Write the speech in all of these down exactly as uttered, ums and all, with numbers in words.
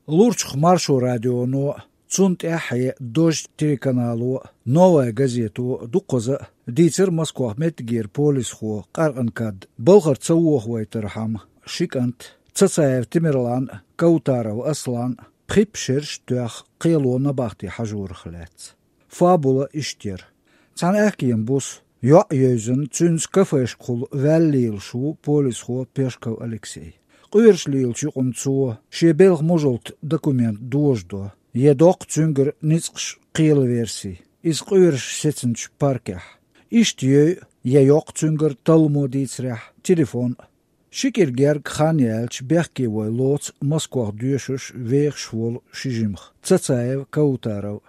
Лурчух Маршо радионо, цунна тӀаьххье «Дождь» телеканало, «Новая газето» дукхаза а дийцар Москох меттигера полисхо къаркъан кад балхара ца вохавайтархьама, ши кӀант, Цацаев Тамерлан, Каутаров Аслан, пхи-пхиъ шераш тоьхна кхело набахте хьажорах лаьцна. Фабула иштта яра. Цхьана аьхкенан буса, йоӀ йевзина, цуьнца кафешкахула ваьлла лелаш ву полисхо Пешков Алексей. Къоьруш лелачу юкъана цо шен белхан мужалта документ дожадо, я доккху цуьнгара ницкъаш кхелан верси, иза къоьруш сецначу паркехь. Иштта йой, я йоккху цуьнгара талламо дийцарехь, телефон а. Ши кӀира гергга хан яьлча, бехке вой лоцу Москох доьшуш, вехаш волу ши жимах, Цацаев, Каутаров.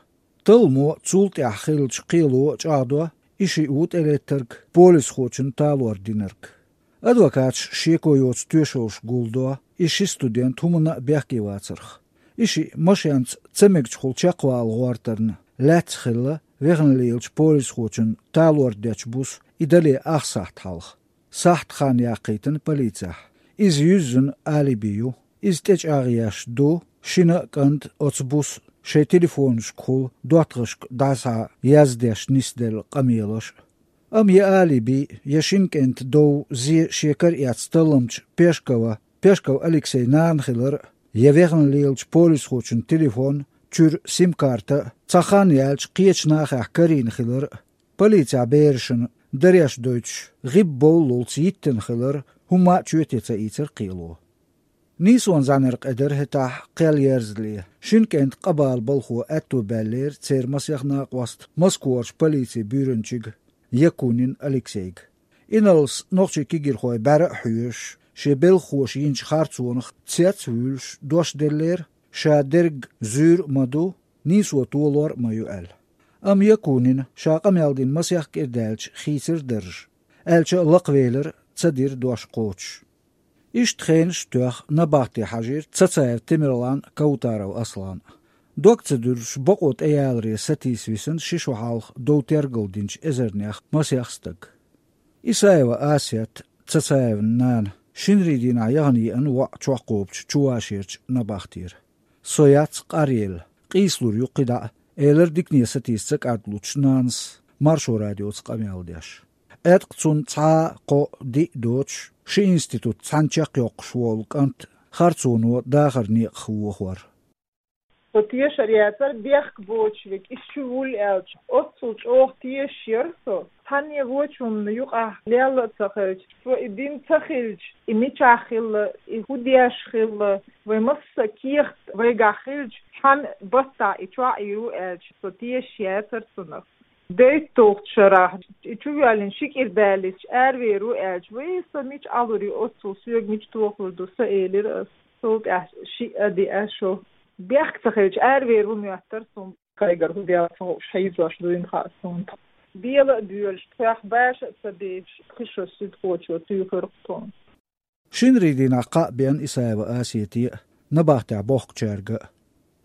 Талламо цул тӀаьхьа хиллачу кхело чӀагӀдо, и шиъ ву тӀелеттарг, полисхочун талор динарг. Адвокаташ шеко йоцу тоьшаллаш гулдо, и ши студент хӀуманна а бехке вацарх. И шиъ машенца ца мегачухула чекхвала гӀортарна лаьцна хилла, вехна лелачу полисхочун талор дечу буса и дале ах сахьт хьалха. Сахьт хан яккхийтина полицехь. Иза юьззина алиби ю. Иза тӀечӀагӀъеш ду, шина а кӀанта оцу буса шайн телефонашкахула доттагӀашка дӀасхьа яздеш нисделла къамелаш а. Амма я алиби, я шина кӀентан дов зе шен кара эцна талламчу Пешкова, Пешков Алексей нана хилар а, я вехна лелачу полисхочун телефон, чуьра сим-карта а цхьа хан яьлча кхечу нахехь карийна хилар а, полицехь берашна дареш дойтуш, гӀибба бовллалц йиттина хилар, хӀумма а чоьте ца ийцар кхело. Нийсонан зӀаьнара къедар хӀетахь кхел ерзале. Шина кӀентан къа бала балхо аьтто баьллера церан масех накъост Москварчу полицин буьйранчига Якунин Алексейга. Инарлас нохчийн кегийрхой бӀаьра а хьоьжуш, шен белхахоша йинчу харцонах цец а вуьйлуш, дош деллера, ша дерг зуьйр а ма ду, нийсо толор а ма ю аьлла. Амма Якунина, ша къамел дина масех кӀира даьлча, хийцира дарж, аьлча а лакхавелира, ца дира дош кхочуш. Иштта хенаш а тоьхна, набахте хьажийра Цацаев Тамерлан а, Каутаров Аслан а. Дог ца дуьллуш, бакъо тӀеяларе сатийса висина ши шо хьалха дов тергал динчу эзарнех масех стаг. Исаева Асет, Цацаевн нана, шинарийн дийнахь яхана еана воӀ чохь кхобучу Чувашерчу набахтера. «Со яц къаръелла, къийсалур ю кхидӀа а», — элира дикане сатийса ца кӀартлуьйтуш нанас Маршо радиоца къамел деш. Эткъа цунна цхьа а, кхоъ а, диъ а доцуш, ши институт цхьаьна чекхйоккхуш волу кӀант харцоно дахаран некъах вохор. Со тешар яцара бехк боцуш верг, иза чу вуьллу аьлча, оццул чӀогӀа тешаш яра со. Цхьанне вочунна юкъахь лелла а ца хилча, со и дина ца хилча, и мичахь хилла, и хӀун деш хилла, вай массо а кехат вайгахь хилча, цхьана баттахь и чохь а йийр ву аьлча, со тешаш яцара цунах. ДейтталгӀачу шарахь, и чу воьллина ши кӀира баьллича, аравер ву аьлча, вай, со мича Ӏалур ю оццул, соьга мича тохалур ду, со элира ас. Цул тӀаьхьа шиъ а диъа шо. Бехк ца хилча, аравер ву моьттара суна. Кхайгара хӀун дела ца хууш, хьийзош дуйна хаьа суна. Бела а боьлуш, тхоьх баша а ца беш, пхи шо суьдхочо туьйхира-кх тхуна. Шинарийн дийнахь кхаъ беана Исаева Асете а, набахтехь бохкучаьрга а.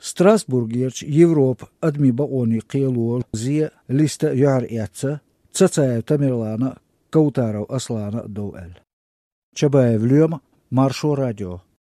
Страсбургерчу Европа адамийн бакъонийн кхело зе а, листа а юьхьар эцна Цацаев Тамерлана а, Каутаров Аслана а дов аьлла. Чабаев Лоьма, Маршо радио.